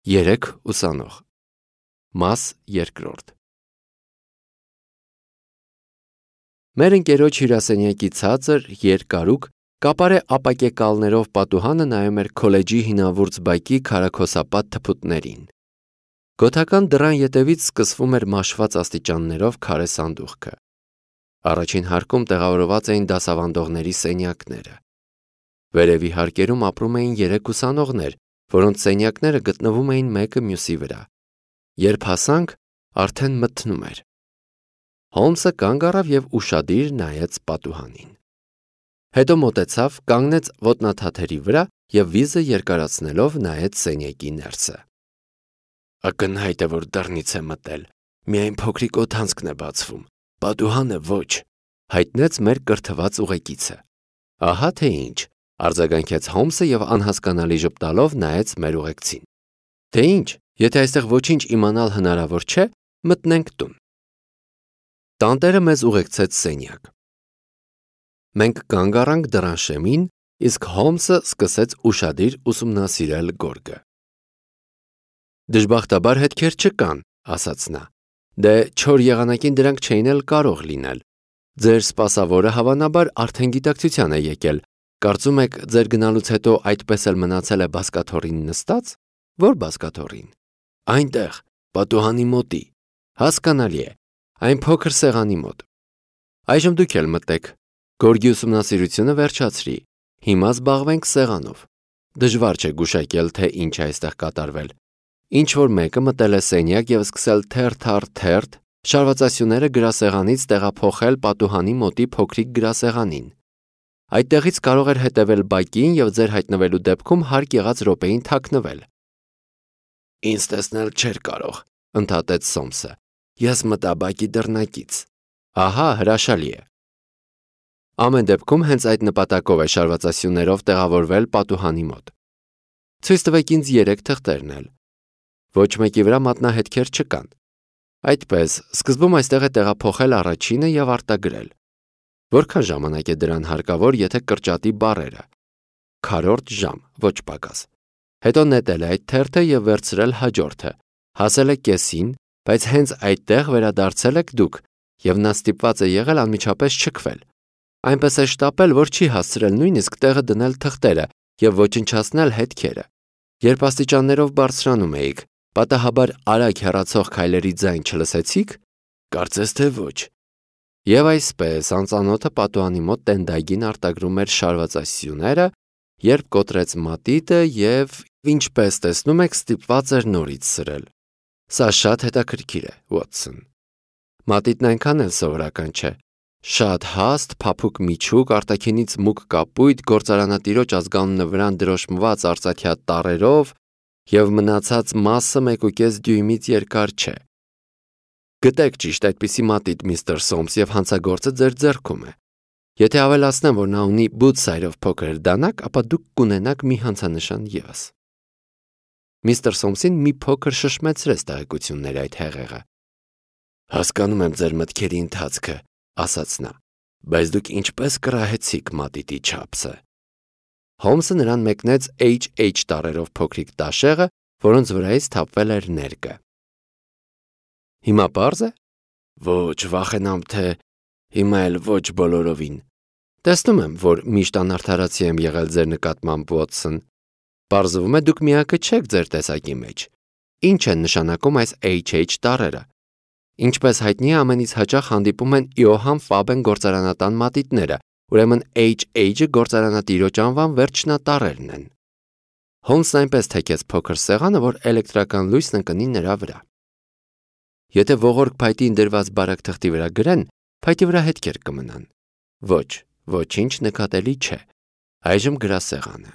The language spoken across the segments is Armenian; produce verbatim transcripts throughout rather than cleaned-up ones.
Երեք ուսանող։ Մաս երկրորդ։ Մեր ընկերոջ հյուրասենյակի ցածր, երկարուկ, կապարե ապակեկալներով պատուհանը նայում էր քոլեջի հինավուրց բակի քարաքոսապատ թփուտներին։ Գոթական դռան ետևից սկսվում էր մաշված աստիճաններով քարե սանդուղքը։ Առաջին հարկում տեղավորված էին դասավանդողների սենյակները։ Վերևի հարկերում ապրում էին երեք ուսանողներ, որոնց սենյակները գտնվում էին մեկը մյուսի վրա։ Երբ հասանք, արդեն մթնում էր։ Հոլմսը կանգ առավ և ուշադիր նայեց պատուհանին։ Հետո մոտեցավ, կանգնեց ոտնաթաթերի վրա և վիզը երկարացնելով նայեց սենյակի ներսը։ Ակնհայտ է, որ դռնից է մտել, միայն փոքրիկ օդանցքն է բացվում, պատուհանը ոչ, հայտնեց մեր կրթված ուղեկիցը։ Ահա թե ինչ, արձագանքեց Հոլմսը և անհասկանալի ժպտալով նայեց մեր ուղեկցին։ Թե ինչ, եթե այստեղ ոչինչ իմանալ հնարավոր չէ, մտնենք տուն։ Տանտերը մեզ ուղեկցեց սենյակ։ Մենք կանգ առանք դռան շեմին, իսկ Հոլմսը սկսեց ուշադիր ուսումնասիրել գորգը։ Դժբախտաբար հետքեր չկան, ասաց նա։ Դե չոր եղանակին դրանք չէին էլ կարող լինել։ Ձեր սպասավորը հավանաբար արդեն գիտակցության է եկել։ Կարծում եք, ձեր գնալուց հետո այդպես էլ մնացել է բազկաթոռին նստած։ Ո՞ր բազկաթոռին։ Այնտեղ, պատուհանի մոտի։ Հասկանալի է, այն փոքր սեղանի մոտ։ Այժմ դուք էլ մտեք։ Գորգի ուսումնասիրությունը վերջացրի։ Հիմա զբաղվենք սեղանով։ Դժվար չէ գուշակել, թե ինչ է այստեղ կատարվել։ Ինչ որ մեկը մտել է սենյակ և սկսել թերթ առ թերթ շարվածասյուները գրասեղանից տեղափոխել պատուհանի մոտի փոքրիկ գրասեղանին։ Այդտեղից կարող էր հետևել բակին և ձեր հայտնվելու դեպքում հարկ եղած րոպեին թաքնվել։ Ինձ տեսնել չէր կարող, ընդհատեց Սոմսը։ Ես մտա բակի դռնակից։ Ահա, հրաշալի է։ Ամեն դեպքում հենց այդ նպատակով է շարվածասյուներով տեղավորվել պատուհանի մոտ։ Ցույց տվեք ինձ երեք թղթերն էլ։ Ոչ մեկի վրա մատնահետքեր չկան։ Այդպես, սկզբում այստեղ է տեղափոխել առաջինը և արտագրել։ Որքան ժամանակ է դրան հարկավոր, եթե կրճատի բառերը։ Քառորդ ժամ, ոչ պակաս։ Հետո նետել է այդ թերթը և վերցրել հաջորդը։ Հասել է կեսին, բայց հենց այդտեղ վերադարձել եք դուք, և նա ստիպված է եղել անմիջապես չքվել։ Այնպես է շտապել, որ չի հասցրել նույնիսկ տեղը դնել թղթերը և ոչնչացնել հետքերը։ Երբ աստիճաններով բարձրանում էիք, պատահաբար արագ հեռացող քայլերի ձայն չլսեցի՞ք։ Կարծես թե ոչ։ Եվ այսպես անծանոթը պատուհանի մոտ տենդագին արտագրում էր շարվածասյուները, երբ կոտրեց մատիտը և, ինչպես տեսնում եք, ստիպված էր նորից սրել։ Սա շատ հետաքրքիր է, Ուոտսոն։ Մատիտն այնքան էլ սովորական չէ։ Շատ հաստ, փափուկ միջուկ, արտաքինից մուգ կապույտ, գործարանատիրոջ ազգանունը վրան դրոշմված արծաթյա տառերով և մնացած մասը մեկուկես դյույմից երկար չէ։ Գտեք ճիշտ այդպիսի մատիտ, միստր Սոմս, և հանցագործը ձեր ձեռքում է։ Եթե ավելացնեմ, որ նա ունի բութսայրով փոքր դանակ, ապա դուք կունենաք մի հանցանշան ևս։ Միստր Սոմսին մի փոքր շշմեցրեց տեղեկությունների այդ հեղեղը։ Հասկանում եմ ձեր մտքերի ընթացքը, ասաց նա, բայց դուք ինչպես կռահեցիք մատիտի չափսը։ Հոլմսը նրան մեկնեց H H տառերով փոքրիկ տաշեղը, որոնց վրայից թափվել էր ներկը։ Հիմա պարզ է։ Ոչ, վախենամ, թե հիմա էլ ոչ բոլորովին։ Տեսնում եմ, որ միշտ անարդարացի եմ եղել ձեր նկատմամբ, Ուոտսոն։ Պարզվում է, դուք միակը չեք ձեր տեսակի մեջ։ Ինչ են նշանակում այս H H տառերը։ Ինչպես հայտնի է, ամենից հաճախ հանդիպում են Իոհան Ֆաբեն գործարանատան մատիտները, ուրեմն H H-ը գործարանատիրոջ անվան վերջնատառերն են։ Հոլմսն այնպես թեքեց փոքր սեղանը, որ էլեկտրական լույսն ընկնի նրա վրա։ Եթե ողորկ փայտին դրված բարակ թղթի վրա գրեն, փայտի վրա հետքեր կմնան։ Ոչ, ոչինչ նկատելի չէ։ Այժմ գրասեղանը։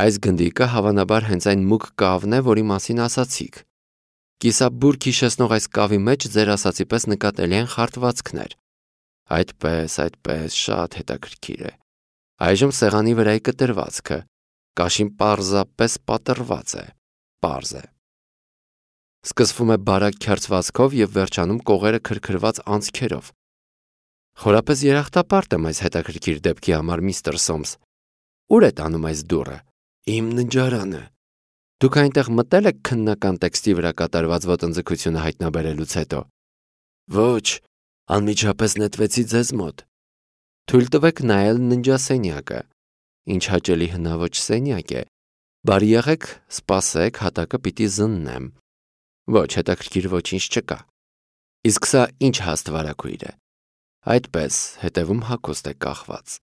Այս գնդիկը հավանաբար հենց այն մուգ կավն է, որի մասին ասացիք։ Կիսաբուրգ հիշեցնող այս կավի մեջ ձեր ասացի պես նկատելի են խարտվածքներ։ Այդպես, այդպես, շատ հետաքրքիր է։ Այժմ սեղանի վրայի կտրվածքը։ Կաշին պարզապես պատռված է։ Պարզ է։ Սկսվում է բարակ քերծվածքով և վերջանում կողերը քրքրված անցքերով։ Խորապես երախտապարտ եմ այս հետաքրքիր դեպքի համար, միստր Սոմս։ Ուր է տանում այս դուռը։ Իմ ննջարանը։ Դուք այնտեղ մտել եք քննական տեքստի վրա կատարված ոտնձգությունը հայտնաբերելուց հետո։ Ոչ, անմիջապես նետվեցի ձեզ մոտ։ Թույլ տվեք նայել ննջասենյակը։ Ինչ հաճելի հնաոճ սենյակ է։ Բարի եղեք, սպասեք, հատակը պիտի զննեմ։ Ոչ, հետաքրքիր ոչինչ չկա։ Իսկ սա ինչ հաստվարակույր է։ Այդպես, հետևում հագուստ է կախված։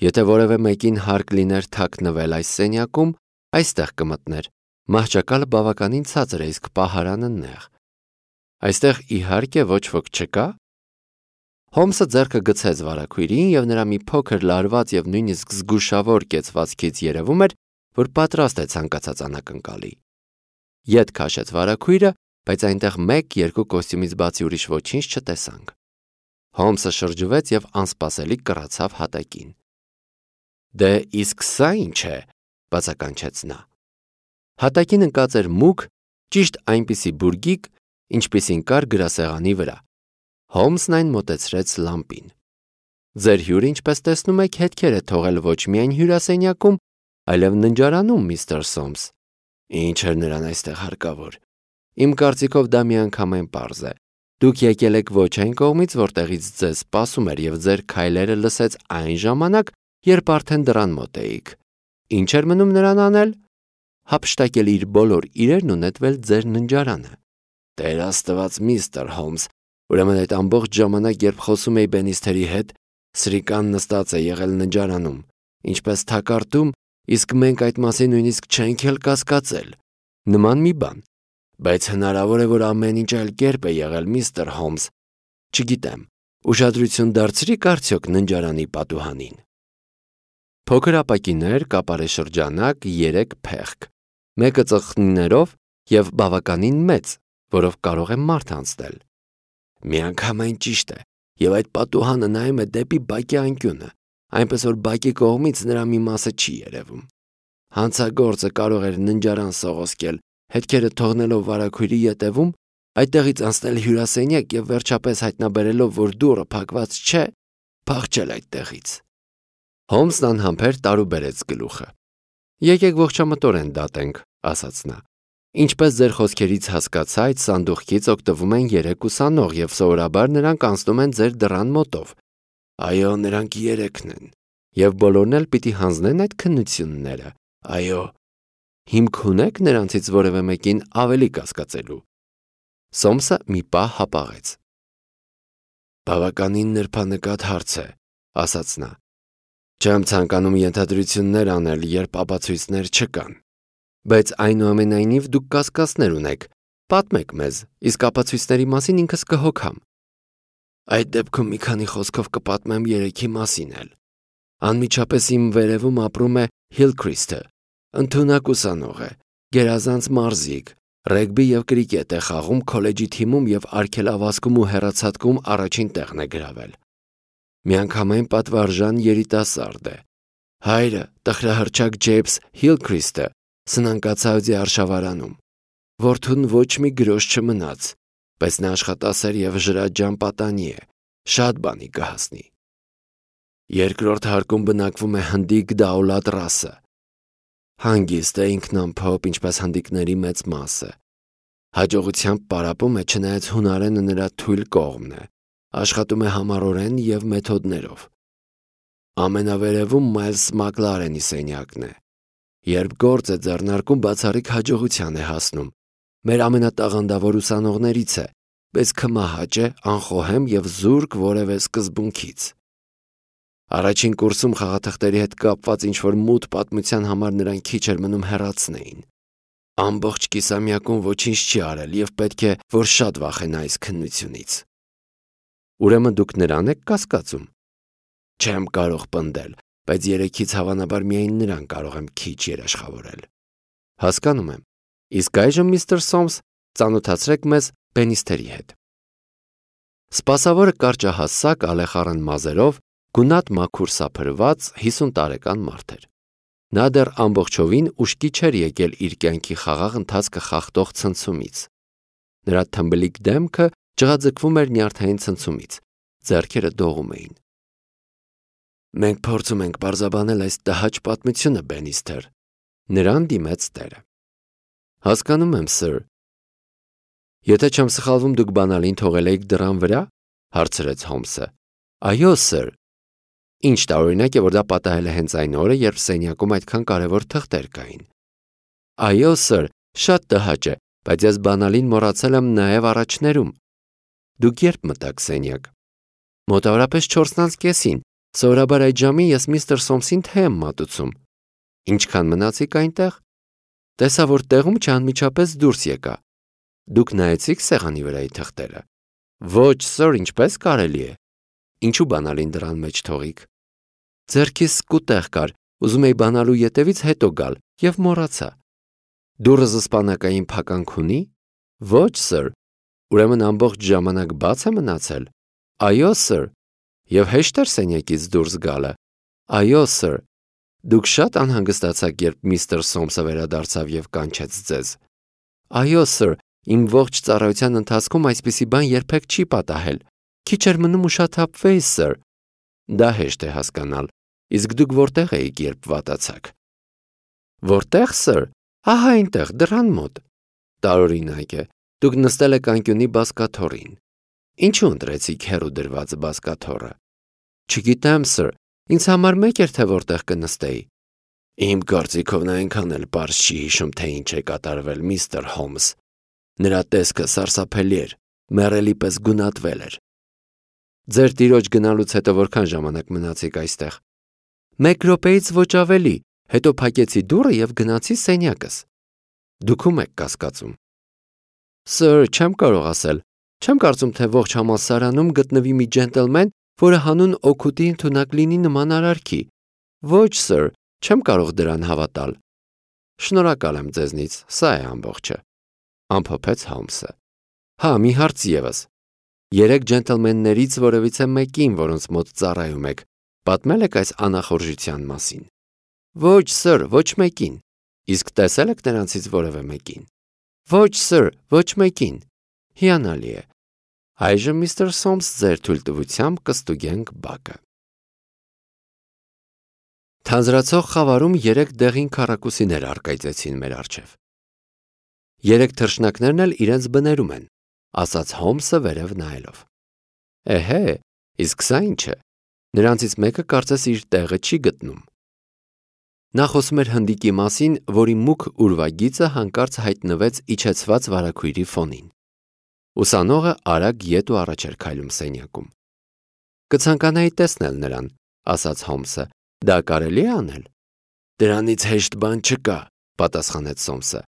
Եթե որևէ մեկին հարկ լիներ թաքնվել այս սենյակում, այստեղ կմտներ։ Մահճակալը բավականին ցածր է, իսկ պահարանը նեղ։ Այստեղ իհարկե ոչ ոք չկա։ Հոմսը ձեռքը գցեց վարակույրին և նրա մի փոքր լարված և նույնիսկ զգուշավոր կեցվածքից երևում էր, որ պատրաստ է ցանկացած անակնկալի։ Ետ քաշեց վարակույրը, բայց այնտեղ մեկ-երկու կոստյումից բացի ուրիշ ոչինչ չտեսանք։ Հոմսը շրջվեց և անսպասելի կռացավ հատակին։ Դե իսկ սա ինչ է, բացականչեց նա։ Հատակին ընկած էր մուգ, ճիշտ այնպիսի բուրգիկ, ինչպիսին կար գրասեղանի վրա։ Հոմսն այն մոտեցրեց լամպին։ Ձեր հյուրը, ինչպես տեսնում եք, հետքեր է թողել ոչ միայն հյուրասենյակում, այլև ննջարանում, միստր Սոմս։ Ինչ էր նրան այստեղ հարկավոր։ Իմ կարծիքով դա միանգամայն պարզ է։ Դուք եկել եք ոչ այն կողմից, որտեղից ձեզ սպասում էր, և ձեր քայլերը լսեց այն ժամանակ, երբ արդեն դռան մոտ էիք։ Ինչ էր մնում նրան անել։ Հափշտակել իր բոլոր իրերն ու նետվել ձեր ննջարանը։ Տեր Աստված, միստր Հոմս, ուրեմն այդ ամբողջ ժամանակ, երբ խոսում էի Բենիստերի հետ, սրիկան նստած է եղել ննջարանում, ինչպես թակարդում, իսկ մենք այդ մասին նույնիսկ չենք էլ կասկածել։ Նման մի բան։ Բայց հնարավոր է, որ ամեն ինչ այլ կերպ է եղել, միստր Հոմս։ Չգիտեմ, ուշադրություն դարձրի՞ք արդյոք ննջարանի պատուհանին։ Փոքր ապակիներ, կապարե շրջանակ, երեք փեղկ, մեկը ծխնիներով և բավականին մեծ, որով կարող է մարդ անցնել։ Միանգամայն ճիշտ է, և այդ պատուհանը նայում է դեպի բակի անկյունը, այնպես որ բակի կողմից նրա մի մասը չի երևում։ Հանցագործը կարող էր ննջարան սողոսկել, հետքերը թողնելով վարակույրի ետևում, այդտեղից անցնել հյուրասենյակ և վերջապես հայտնաբերելով, որ դուռը փակված չէ, փախչել այդտեղից։ Հոմսն անհամբեր տարուբերեց գլուխը։ Եկեք ողջամտորեն դատենք, ասաց նա։ Ինչպես ձեր խոսքերից հասկացա, այդ սանդուղքից օգտվում են երեք ուսանող և սովորաբար նրանք անցնում են ձեր դռան մոտով։ Այո, նրանք երեքն են։ Եվ բոլորն էլ պիտի հանձնեն այդ քննությունները։ Այո։ Հիմք ունեք նրանցից որևէ մեկին ավելի կասկածելու։ Սոմսը մի պահ հապաղեց։ Բավականին նրբանկատ հարց է, ասաց նա։ Չեմ ցանկանում ենթադրություններ անել, երբ ապացույցներ չկան։ Բայց այնուամենայնիվ դուք կասկածներ ունեք, պատմեք մեզ, իսկ ապացույցների մասին ինքս կհոգամ։ Այդ դեպքում մի քանի խոսքով կպատմեմ երեքի մասին էլ։ Անմիջապես իմ վերևում ապրում է Հիլքրիսթը, ընդունակ ուսանող է, գերազանց մարզիկ, ռեգբի և կրիկետ է խաղում քոլեջի թիմում և արգելավազքում ու հեռացատկում առաջին տեղն է գրավել։ Միանգամայն պատվարժան երիտասարդ է։ Հայրը, տխրահռչակ Ջեյմս Հիլքրիսթը, սնանկացած է արշավարանում։ Որդուն ոչ մի գրոշ չմնաց, բայց նա աշխատասեր և ժրաջան պատանի է, շատ բանի կհասնի։ Երկրորդ հարկում բնակվում է հնդիկ Դաուլատ Ռասը։ Հանգիստ է, ինքնամփոփ, ինչպես հնդիկների մեծ մասը։ Հաջողությամբ պարապում է, չնայած հունարենը նրա թույլ կողմն է, աշխատում է համառորեն և մեթոդներով։ Ամենավերևում Մայլս Մակլարենի սենյակն է։ Երբ գործ է ձեռնարկում, բացառիկ հաջողության է հասնում։ Մեր ամենատաղանդավոր ուսանողներից է, բայց քմահաճ է, անխոհեմ և զուրկ որևէ սկզբունքից։ Առաջին կուրսում խաղաթղթերի հետ կապված ինչ-որ մութ պատմության համար նրան քիչ էր մնում հեռացնեին։ Ամբողջ կիսամյակում ոչինչ չի արել և պետք է, որ շատ վախենա այս քննությունից։ Ուրեմն դուք նրան եք կասկածում։ Չեմ կարող պնդել, բայց երեքից հավանաբար միայն նրան կարող եմ քիչ երաշխավորել։ Հասկանում եմ։ Իսկ այժմ, միստր Սոմս, ծանոթացրեք մեզ Բենիստերի հետ։ Սպասավորը կարճահասակ, ալեխառն մազերով, գունատ մաքուր սափրված հիսուն տարեկան մարդ էր։ Նա դեռ ամբողջովին ուշքի չէր եկել իր կյանքի խաղաղ ընթացքը խախտող ցնցումից։ Նրա թմբլիկ դեմքը ջղաձգվում էր նյարդային ցնցումից, ձեռքերը դողում էին։ Մենք փորձում ենք պարզաբանել այս տհաճ պատմությունը, Բենիստեր, նրան դիմեց տերը։ Հասկանում եմ, sir։ Եթե չեմ սխալվում, դուք բանալին թողել եք դռան վրա, հարցրեց Հոմսը։ Այո, sir։ Ինչ տարօրինակ է, որ դա պատահել է հենց այն օրը, երբ սենյակում այդքան կարևոր թղթեր կային։ Այո, sir, շատ տհաճ է, բայց ես բանալին մոռացել եմ նաև առաջներում։ Դուք երբ մտաք սենյակ։ Մոտավորապես չորսն անց կեսին, սովորաբար այդ ժամին ես միստր Սոմսին թե եմ մատուցում։ Ինչքան մնացիք այնտեղ։ Տեսա, որ տեղում չանմիջապես դուրս եկա։ Դուք նայեցիք սեղանի վրայի թղթերը։ Ոչ, sir, ինչպես կարելի է։ Ինչու բանալին դռան մեջ թողիք։ Ձեռքիս սկուտեղ կար, ուզում էի բանալու ետևից հետո գալ եւ մոռացա։ Դուռը զսպանակային փականք ունի։ Ոչ, sir։ Ուրեմն ամբողջ ժամանակ բաց է մնացել։ Այո, sir։ Եվ հեշտ էր սենյակից դուրս գալը։ Այո, sir։ Դուք շատ անհանգստացաք, երբ միստր Սոմսը վերադարձավ եւ կանչեց ձեզ։ Այո, sir, իմ ողջ ծառայության ընթացքում այսպիսի բան երբեք չի պատահել։ Քիչ էր մնում ուշաթափվեի, sir։ Դա հեշտ է հասկանալ։ Իսկ դուք որտեղ էիք, երբ վատացաք։ Որտեղ, sir։ Ահա այնտեղ, դռան մոտ։ Տարօրինակ է։ Դուք նստել եք անկյունի բազկաթոռին։ Ինչու ընտրեցիք հեռու դրված բազկաթոռը։ Չգիտեմ, sir, ինձ համար մեկ էր, թե որտեղ կնստեի։ Իմ կարծիքով նա այնքան էլ պարզ չի հիշում, թե ինչ է կատարվել, միստր Հոմս։ Նրա տեսքը սարսափելի էր, մեռելի պես գունատվել էր։ Ձեր տիրոջ գնալուց հետո որքան ժամանակ մնացիք այստեղ։ Մեկ րոպեից ոչ ավելի, հետո փակեցի դուռը եւ գնացի սենյակս։ Դուք ում եք կասկածում։ Sir, չեմ կարող ասել։ Չեմ կարծում, թե ողջ համալսարանում գտնվի մի ջենտլմեն, որը հանուն օգուտի ընդունակ լինի նման արարքի։ Ոչ, sir, չեմ կարող դրան հավատալ։ Շնորհակալ եմ ձեզնից, սա է ամբողջը։ Ամփոփեց Հոմսը։ Հա, մի հարց եւս։ Երեք ջենտլմեններից որևիցե մեկին, որոնց մոտ ծառայում եք, պատմել եք այս անախորժության մասին։ Ոչ, sir, ոչ մեկին։ Իսկ տեսել եք նրանցից որևէ մեկին։ Ոչ, sir, ոչ մեկին։ Հիանալի է։ Այժմ միստր Սոմս ձեր թույլտվությամբ կստուգենք բակը։ Թանձրացող խավարում երեք դեղին քառակուսիներ առկայծեցին մեր առջև։ Երեք թռչնակներն էլ իրենց բներում են, ասաց Հոմսը վերև նայելով։ Էհե, իսկ սա ինչ է։ Նրանցից մեկը կարծես իր տեղը չի գտնում։ Նա խոսում էր հնդիկի մասին, որի մուգ ուրվագիծը հանկարծ հայտնվեց իջեցված վարագույրի ֆոնին։ Ուսանողը արագ ետ ու առաջ էր քայլում սենյակում։ Կցանկանայի տեսնել նրան, ասաց Հոմսը։ Դա կարելի է անել։ Դրանից հեշտ բան չկա, պատասխանեց Սոմսը։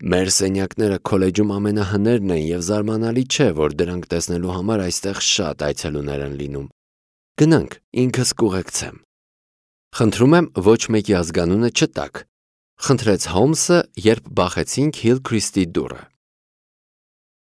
Մեր սենյակները քոլեջում ամենահներն են եւ զարմանալի չէ, որ դրանք տեսնելու համար այստեղ շատ այցելուներ են լինում։ Գնանք, ինքս կուղեկցեմ։ Խնդրում եմ ոչ մեկի ազգանունը չտաք, խնդրեց Հոմսը, երբ բախեցինք Հիլքրիստի դուռը։